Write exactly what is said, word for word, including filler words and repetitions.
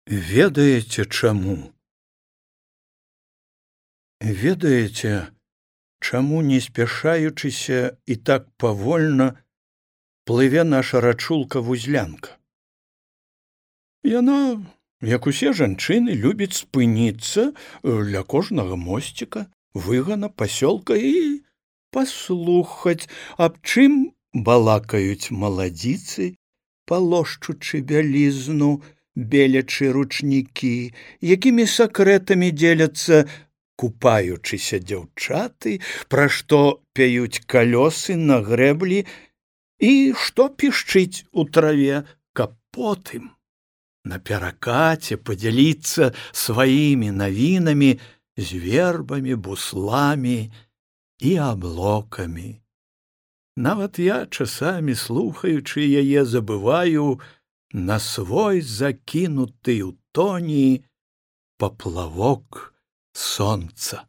Ведаеце чаму? Ведаеце, чаму, не спяшаючыся і так павольна, плыве наша рачулка-вузлянка? Яна, як усе жанчыны, любіць спыніцца ля кожнага мосціка, выгана, пасёлка і паслухаць, аб чым балакаюць маладзіцы, палошчучы бялізну, белячы ручнікі, якімі сакрэтамі дзеляцца купаючыся дзяўчаты, пра што пяюць калёсы на грэблі і што пішчыць у траве, каб потым на перакаце падзяліцца сваімі навінамі з вербамі, бусламі і аблокамі. Нават я, часамі слухаючы яе, забываю на свой закінуты ў тоні паплавок сонца.